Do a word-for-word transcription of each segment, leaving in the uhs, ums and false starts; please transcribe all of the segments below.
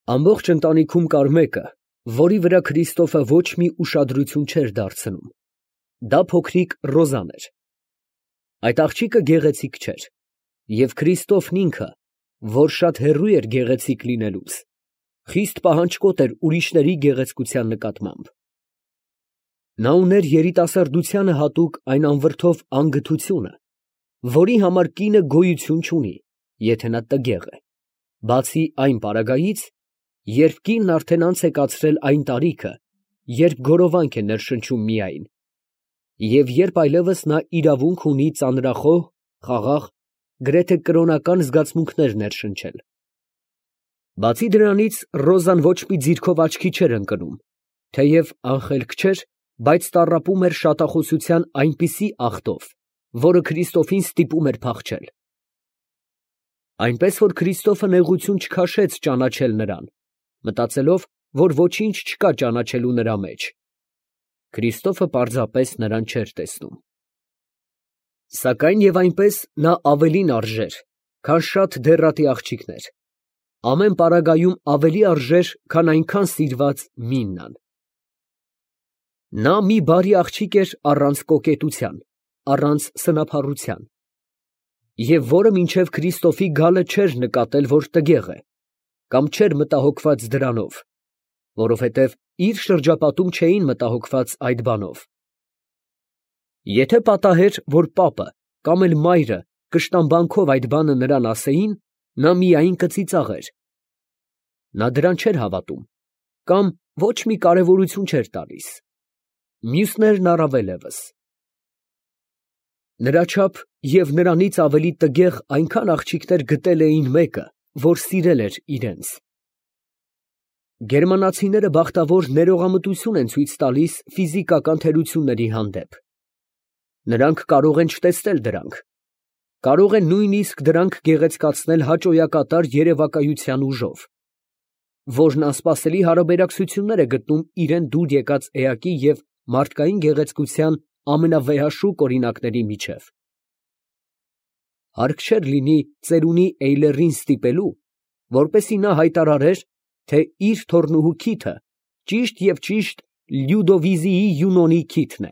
Ամբողջ ընտանիքում կար մեկը, որի վրա Քրիստոֆը ոչ մի ուշադրություն չէր դարձնում. դա փոքրիկ Ռոզան էր։ Այդ աղջիկը գեղեցիկ չէր, և Քրիստոֆն ինքը, որ շատ հեռու էր գեղեցիկ լինելուց, խիստ պահանջկոտ էր ուրիշների գեղեցկության նկատմամբ։ Նա ուներ երիտասարդությանը հատուկ այն անվրդով անգթությունը, որի համար կինը գոյություն չունի, եթե նա տգեղ է, բացի այն պարագայից, երբ կինն արդեն անց է կացրել այն տարիքը, երբ գորովանք է ներշնչում միայն, և երբ այլևս նա իրավունք ունի ծանրախոհ, խաղաղ, գրեթե կրոնական զգացմունքներ ներշնչել։ Բացի դրանից, Ռոզան ոչ մի ձիրքով աչքի չէր ընկնում, թեև անխելք չէր, բայց տառապում էր շատախոսության այնպիսի աղտով, որը Քրիստոֆին ստիպում էր փախչել։ Այնպես որ Քրիստոֆը նեղություն չքաշեց ճանաչել նրան, մտածելով, որ ոչինչ չկա ճանաչելու նրա մեջ. Քրիստոֆը պարզապես նրան չէր տեսնում։ Սակայն և այնպես նա ավելին արժեր, քան շատ դեռատի աղջիկներ, ամեն պարագայում ավելի արժեր, քան այնքան սիրված Միննան։ Նա մի բարի աղջիկ էր առանց կոկետության, առանց սնափառության, և որը մինչև Քրիստոֆի գալը չէր նկատել, որ տգեղ է, կամ չէր մտահոգված դրանով, որովհետև իր շրջապատում չէին մտահոգված այդ բանով։ Եթե պատահեր, որ պապը կամ էլ մայրը կշտամբանքով այդ բանը նրան ասեին, նա միայն կծիծաղեր։ Նա դրան չէր հավատում, կամ ոչ մի կարևորություն չէր տալիս, մյուսներն առավել ևս։ Նրա չափ և նրանից ավելի տգեղ այնքան աղջիկներ գտել էին մեկը, որ սիրել էր իրենց։ Գերմանացիները բախտավոր ներողամտություն են ցույց տալիս ֆիզիկական թերությունների հանդեպ։ Նրանք կարող են չտեսնել դրանք, կարող են նույնիսկ դրանք գեղեցկացնել հաճոյակատար երևակայության ուժով, որն անսպասելի հարաբերակցություններ է գտնում իրան դուր եկած էակի և մարդկային գեղեցկության ամենավեհաշուկ օրինակների միջև։ Հարկ չէր լինի ծերունի Էյլերին ստիպելու, որպեսզի նա հայտարարեր, թե իր թոռնուհու քիթը ճիշտ և ճիշտ Լյուդովիզիի Յունոնի քիթն է։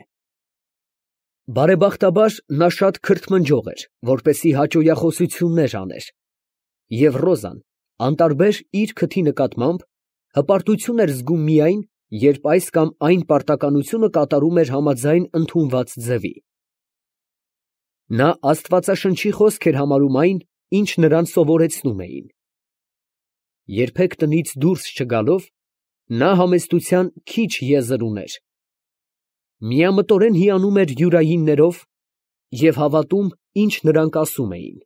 Բարեբախտաբար, նա շատ քրթմնջող էր, որպեսզի հաճոյախոսություններ աներ, և Ռոզան, անտարբեր իր քթի նկատմամբ, հպարտություն էր զգում միայն, երբ այս կամ այն պարտականությունը կատարում էր համաձայն ընդունված ձևի։ Նա աստվածաշնչի խոսք էր համարում այն, ինչ նրան սովորեցնում էին։ Երբեք տնից դուրս չգալով, նա համեստության քիչ եզր ուներ, միամտորեն հիանում էր յուրայիններով և հավատում, ինչ նրանք ասում էին։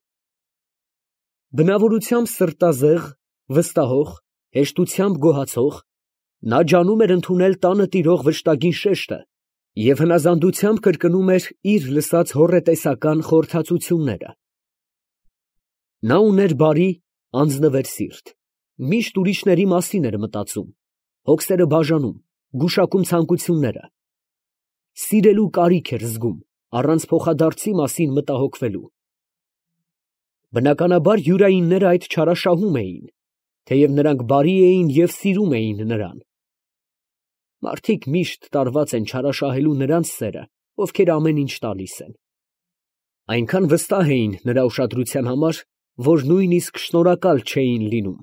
Բնավորությամբ սրտազեղ, վստահող, հեշտությամբ գոհացող, նա ջանում էր ընդունել տանը տիրող վշտագին շեշտը և հնազանդությամբ կրկնում էր իր լսած հոռետեսական խորհրդածությունները։ Նա ուներ բարի, անձնվեր սիրտ, միշտ ուրիշների մասին էր մտածում, հոգսերը բաժանում, գուշակում ցանկությունները, սիրելու կարիք էր զգում, առանց փոխադարձի մասին մտահոգվելու։ Բնականաբար յուրայինները այդ չարաշահում էին, թեև նրանք բարի էին և սիրում էին նրան։ Մարդիկ միշտ տարված են չարաշահելու նրանց սերը, ովքեր ամեն ինչ տալիս են։ Այնքան վստահ էին նրա ուշադրության համար, որ նույնիսկ շնորհակալ չէին լինում։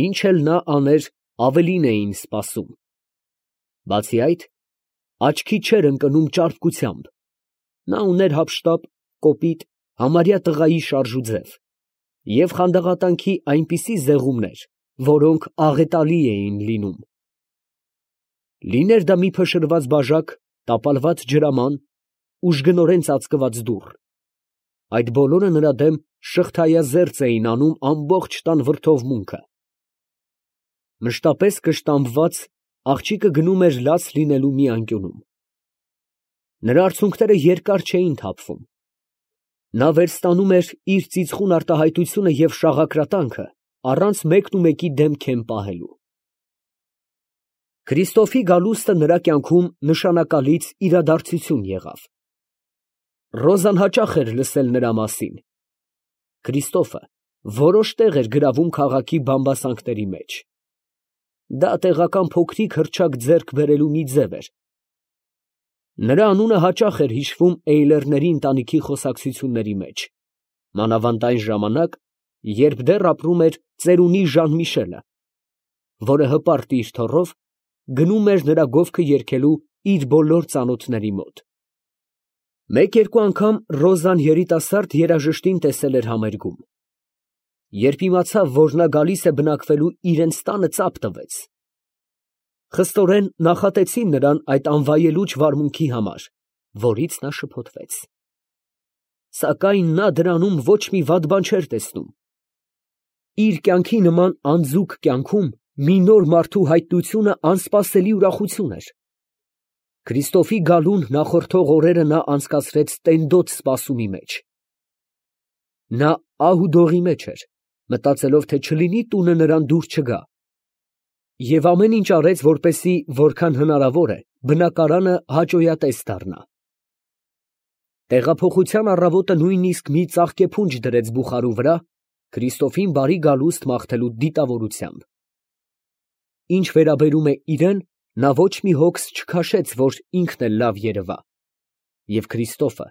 Ինչ էլ նա աներ, ավելին էին սպասում։ Բացի այդ, աչքի չէր ընկնում ճարպկությամբ։ Նա ուներ հափշտապ, կոպիտ, համարյա տղայի շարժուձև և խանդաղատանքի այնպիսի զեղումներ, որոնք աղետալի էին լինում։ Լիներ դա մի փշրված բաժակ, տապալված ջրաման, ուժգնորեն ծածկված դուռ, այդ բոլորը նրա դեմ շղթայազերծ էին անում ամբողջ տան վրդովմունքը։ Մշտապես կշտամբված, աղջիկը գնում էր լաց լինելու մի անկյունում։ Նրա արցունքները երկար չէին թափվում։ Նա վերստանում էր իր ծիծխուն արտահայտությունը և շաղակրատանքը առանց մեկնումեկի դեմքեն պահելու։ Քրիստոֆի գալուստը նրա կյանքում նշանակալից իրադարձություն եղավ։ Ռոզան հաճախ էր լսել նրա մասին։ Քրիստոֆը որոշ տեղ էր գրավում քաղաքի բամբասանքների մեջ։ Դա տեղական փոքրիկ հռչակ ձեռք բերելու մի ձև էր։ Նրա անունը հաճախ էր հիշվում Էյլերների ընտանիքի խոսակցությունների մեջ, մանավանդ այն ժամանակ, երբ դեռ ապրում էր ծերունի Ժան֊Միշելը, որը հպարտ իր թոռով գնում էր նրա գովքը երգելու իր բոլոր ծանոթների մոտ։ Մեկ֊երկու անգամ Ռոզան երիտասարդ երաժշտին տեսել էր համերգում։ Երբ իմացավ, որ նա գալիս է բնակվելու իրենց տանը, ծափ տվեց։ Խստորեն նախատեցին նրան այդ անվայելուչ վարմունքի համար, որից նա շփոթվեց։ Սակայն նա դրանում ոչ մի վատ բան չէր տեսնում։ Իր կյանքի նման անձուկ կյանքում մի նոր մարդու հայտնությունը անսպասելի ուրախություն էր։ Քրիստոֆի գալուն նախորդող օրերը նա անցկացրեց տենդոտ սպասումի մեջ։ Նա ահ ու դողի մեջ էր, մտածելով, թե չլինի տունը նրան դուր չգա, և ամեն ինչ արեց, որպեսզի որքան հնարավոր է բնակարանը հաճոյատես դառնա։ Տեղափոխության առավոտը նույնիսկ մի ծաղկեփունջ դրեց բուխարու վրա, Քրիստոֆին բարի գալուստ մաղթելու դիտավորությամբ։ Ինչ վերաբերում է իրան, նա ոչ մի հոգս չքաշեց, որ ինքն էլ լավ երևա, և Քրիստոֆը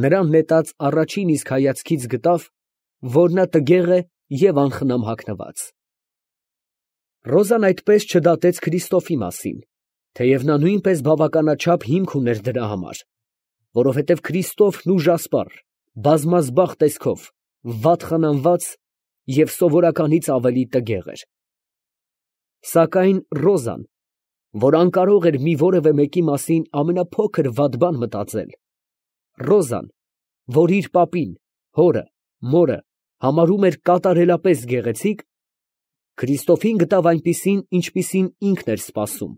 նրան նետած առաջին իսկ հայացքից գտավ, որ նա տգեղ է և անխնամ հագնված։ Ռոզան այդպես չդատեց Քրիստոֆի մասին, թեև նա նույնպես բավականաչափ հիմք ուներ դրա համար, որովհետև Քրիստոֆն ուժասպառ, բազմազբաղ տեսքով, վատ խնամված և սովորականից ավելի տգեղ էր։ Սակայն Ռոզան, որ անկարող էր մի որևէ մեկի մասին ամենափոքր վատ բան մտածել, Ռոզան, որ իր պապին, հորը, մորը համարում էր կատարելապես գեղեցիկ, Քրիստոֆին գտավ այնպիսին, ինչպիսին ինքն էր սպասում,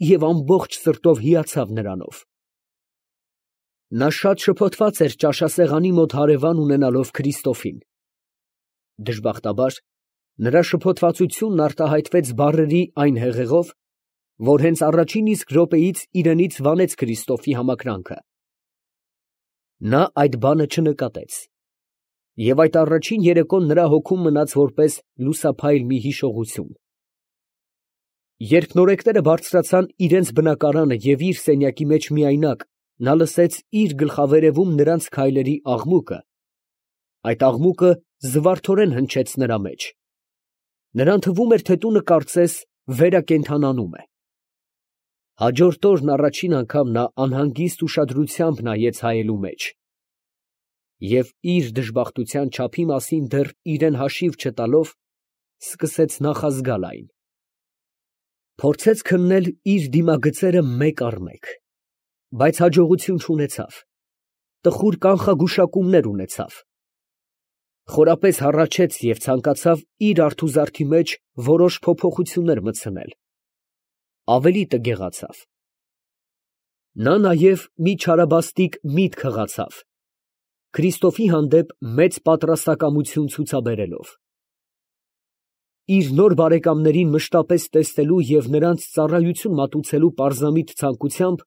և ամբողջ սրտով հիացավ նրանով։ Նա շատ շփոթված էր ճաշասեղանի մոտ հարևան ունենալով Քրիստոֆին։ Դժբախտաբար, նրա շփոթվածությունն արտահայտվեց բառերի այն հեղեղով, որ հենց առաջին իսկ րոպեից իրենից վանեց Քրիստոֆի համակրանքը։ Նա այդ բանը չնկատեց, և այդ առաջին երեկոն նրա հոգում մնաց որպես լուսափայլ մի հիշողություն։ Երբ նորեկները բարձրացան իրենց բնակարանը և իր սենյակի մեջ միայնակ նա լսեց իր գլխավերևում նրանց քայլերի աղմուկը, այդ աղմուկը զվարթորեն հնչեց նրա մեջ։ Նրան թվում էր, թե տունը կարծես վերակենդանանում է։ Հաջորդ օրն առաջին անգամ նա անհանգիստ ուշադրությամբ նայեց հայելու մեջ և իր դժբախտության չափի մասին դեռ իրան հաշիվ չտալով, սկսեց նախազգալ այն։ Փորձեց քննել իր դիմագծերը մեկ առ մեկ, բայց հաջողություն չունեցավ, տխուր կանխագուշակումներ ունեցավ։ Խորապես հառաչեց և ցանկացավ իր արթուզարդի մեջ որոշ փոփոխություններ մտցնել, ավելի տգեղացավ։ Նա նաև մի չարաբաստիկ միտք հղացավ, Քրիստոֆի հանդեպ մեծ պատրաստակամություն ցուցաբերելով։ Իր նոր բարեկամներին մշտապես տեսնելու և նրանց ծառայություն մատուցելու պարզամիտ ցանկությամբ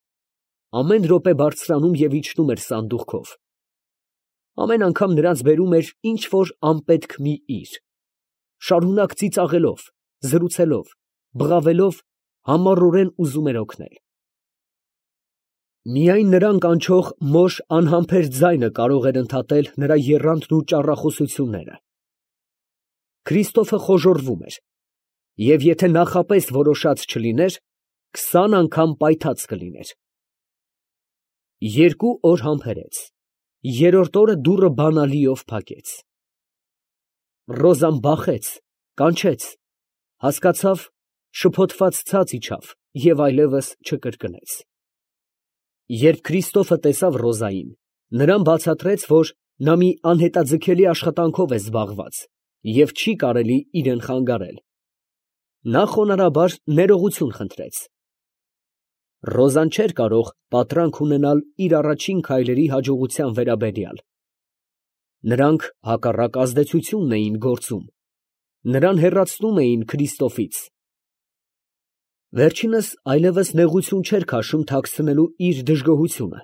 ամեն րոպե բարձրանում և իջնում էր սանդուղքով։ Ամեն անգամ նրանց բերում էր ինչ֊որ անպետք մի իր, շարունակ ծիծաղելով, զրուցելով, բղավելով, համառորեն ուզում էր օգնել։ Միայն նրան կանչող մոշ անհամբեր ձայնը կարող էր ընդհատել նրա եռանդն ու ճառախոսությունները։ Քրիստոֆը խոժոռվում էր, և եթե նախապես որոշած չլիներ, քսան անգամ պայթած կլիներ։ Երկու օր համբերեց, երրորդ օրը դուռը բանալիով փակեց։ Ռոզան բախեց, կանչեց, հասկացավ, շփոթված ցած իջավ և այլևս չկրկնեց։ Երբ Քրիստոֆը տեսավ Ռոզային, նրան բացատրեց, որ նա մի անհետաձգելի աշխատանքով է զբաղված և չի կարելի իրան խանգարել։ Նա խոնարհաբար ներողություն խնդրեց։ Ռոզան չէր կարող պատրանք ունենալ իր առաջին քայլերի հաջողության վերաբերյալ։ Նրանք հակառակ ազդեցությունն էին գործում, նրան հեռացնում էին Քրիստոֆից։ Վերջինս այլևս նեղություն չէր քաշում թաքցնելու իր դժգոհությունը։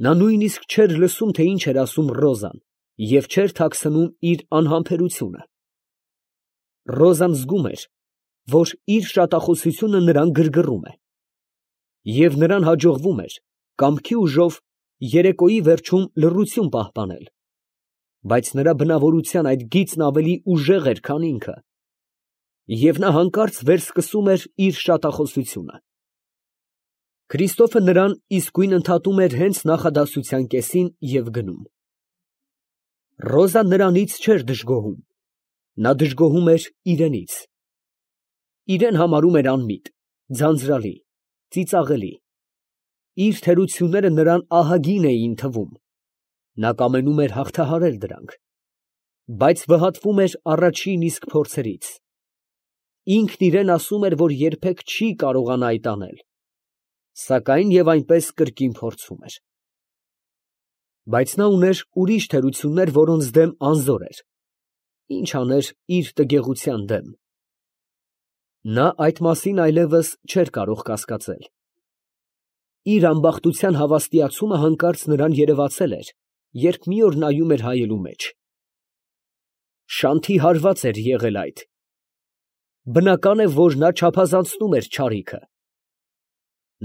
Նա նույնիսկ չէր լսում, թե ինչ էր ասում Ռոզան, և չէր թաքցնում իր անհամբերությունը։ Ռոզան զգում էր, որ իր շատախոսությունը նրան գրգռում է, և նրան հաջողվում էր կամքի ուժով երեկոյի վերջում լռություն պահպանել, բայց նրա բնավորության այդ գիծն ավելի ուժեղ էր, քան ինքը, և նա հանկարծ վերսկսում էր իր շատախոսությունը։ Քրիստոֆը նրան իսկույն ընդհատում էր հենց նախադասության կեսին և գնում։ Ռոզան նրանից չէր դժգոհում, նա դժգոհում էր իրենից. իրեն համարում էր անմիտ, ձանձրալի, ծիծաղելի, իր թերությունները նրան ահագին էին թվում, նա կամենում էր հաղթահարել դրանք, բայց վհատվում էր առաջին իսկ փորձերից, ինքն իրան ասում էր, որ երբեք չի կարողանա այդ անել, սակայն և այնպես կրկին փորձում էր։ Բայց նա ուներ ուրիշ թերություններ, որոնց դեմ անզոր էր, ինչ աներ իր տգեղության դեմ։ Նա այդ մասին այլևս չէր կարող կասկածել։ Իր ամբախտության հավաստիացումը հանկարծ նրան երևացել էր, երբ մի օր նայում էր հայելու մեջ։ Շանթի հարված էր եղել այդ։ Բնական է, որ նա չափազանցնում էր չարիքը։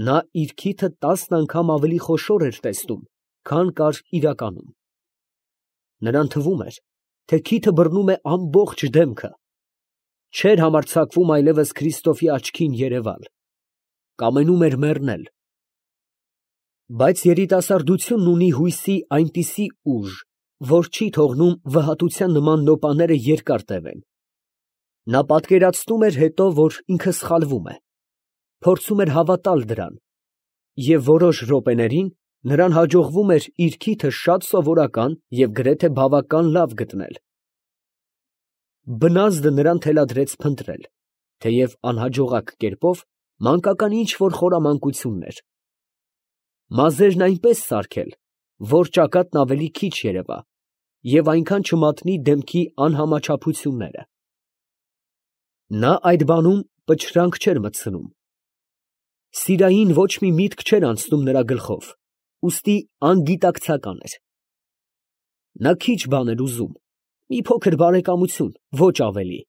Նա իր քիթը տասն անգամ ավելի խոշոր էր տեսնում, քան կար իրականում։ Նրան թվում էր, թե քիթը բռնում է ամբողջ դեմքը, չէր համարձակվում այլևս Քրիստոֆի աչքին երևալ, կամենում էր մեռնել։ Բայց երիտասարդությունն ունի հույսի այնպիսի ուժ, որ չի թողնում վհատության նման նոպաները երկար տևեն։ Նա պատկերացնում էր հետո, որ ինքը սխալվում է, փորձում էր հավատալ դրան, և որոշ րոպեներին նրան հաջողվում էր իր քիթը շատ սովորական և գրեթե բավական լավ գտնել։ Բնազդը նրան թելադրեց փնտրել, թեև անհաջողակ կերպով, մանկական ինչ֊որ խորամանկություններ, մազերն այնպես սարքել, որ ճակատն ավելի քիչ երևա և այնքան չմատնի դեմքի անհամաչափությունները։ Նա այդ բանում պչրանք չէր մտցնում։ Սիրային ոչ մի միտք չէր անցնում նրա գլխով, ուստի անգիտակցական էր։ Նա քիչ բան էր ուզում, մի փոքր բարեկամություն, ոչ ավելի,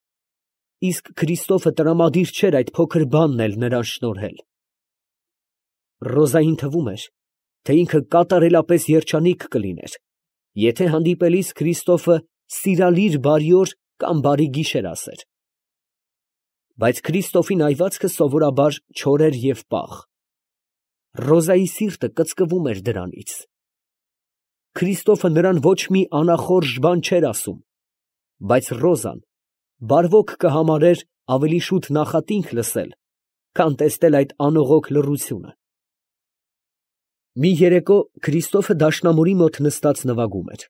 իսկ Քրիստոֆը տրամադիր չէր այդ փոքր բանն էլ նրան շնորհել։ Ռոզային թվում էր, թե ինքը կատարելապես երջանիկ կլիներ, եթե հանդիպելիս Քրիստոֆը սիրալիր բարի օր կամ բարի գիշեր ասեր։ Բայց Քրիստոֆի նայվածքը սովորաբար չոր էր և պաղ։ Ռոզայի սիրտը կծկվում էր դրանից։ Քրիստոֆը նրան ոչ մի անախորժ բան չէր ասում, բայց Ռոզան բարվոք կհամարեր ավելի շուտ նախատինք լսել, քան տեսնել այդ անողոք լռությունը։ Մի երեկո Քրիստոֆը դաշնամուրի մոտ նստած նվագում էր։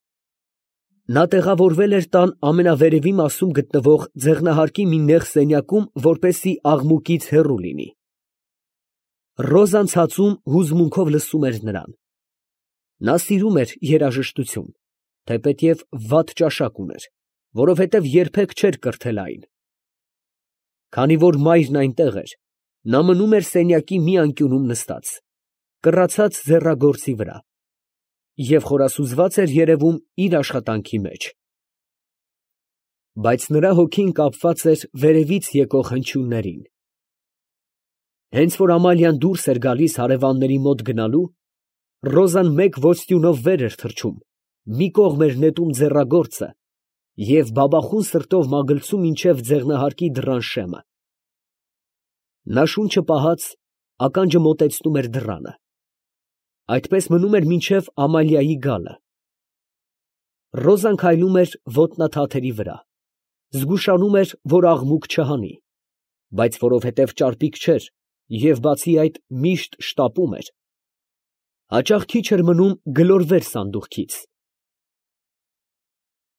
Նա տեղավորվել էր տան ամենավերևի մասում գտնվող ձեղնահարկի մի նեղ սենյակում, որպեսզի աղմուկից հեռու լինի։ Ռոզան ցածում հուզմունքով լսում էր նրան։ Նա սիրում էր երաժշտություն, թեպետև վատ ճաշակ ուներ, որովհետև երբեք չէր կրթել այն։ Քանի որ մայրն այնտեղ էր, նա մնում էր սենյակի մի անկյունում նստած, կռացած ձեռագործի վրա, և խորասուզված էր երևում իր աշխատանքի մեջ։ Բայց նրա հոգին կապված էր վերևից եկող հնչյուններին։ Հենց որ Ամալիան դուրս էր գալիս հարևանների մոտ գնալու, Ռոզան մեկ ոստյունով վեր էր թռչում, մի կողմ էր նետում ձեռագործը և բաբախուն սրտով մագլցում մինչև ձեղնահարկի դռան շեմը։ Նա շունչը պահած, ականջը մոտեցնում էր դռանը։ Այդպես մնում էր մինչև Ամալիայի գալը։ Ռոզան քայլում էր ոտնաթաթերի վրա, զգուշանում էր, որ աղմուկ չհանի, բայց որովհետև ճարպիկ չէր և բացի այդ միշտ շտապում էր, հաճախ քիչ էր մնում գլորվեր սանդուղքից,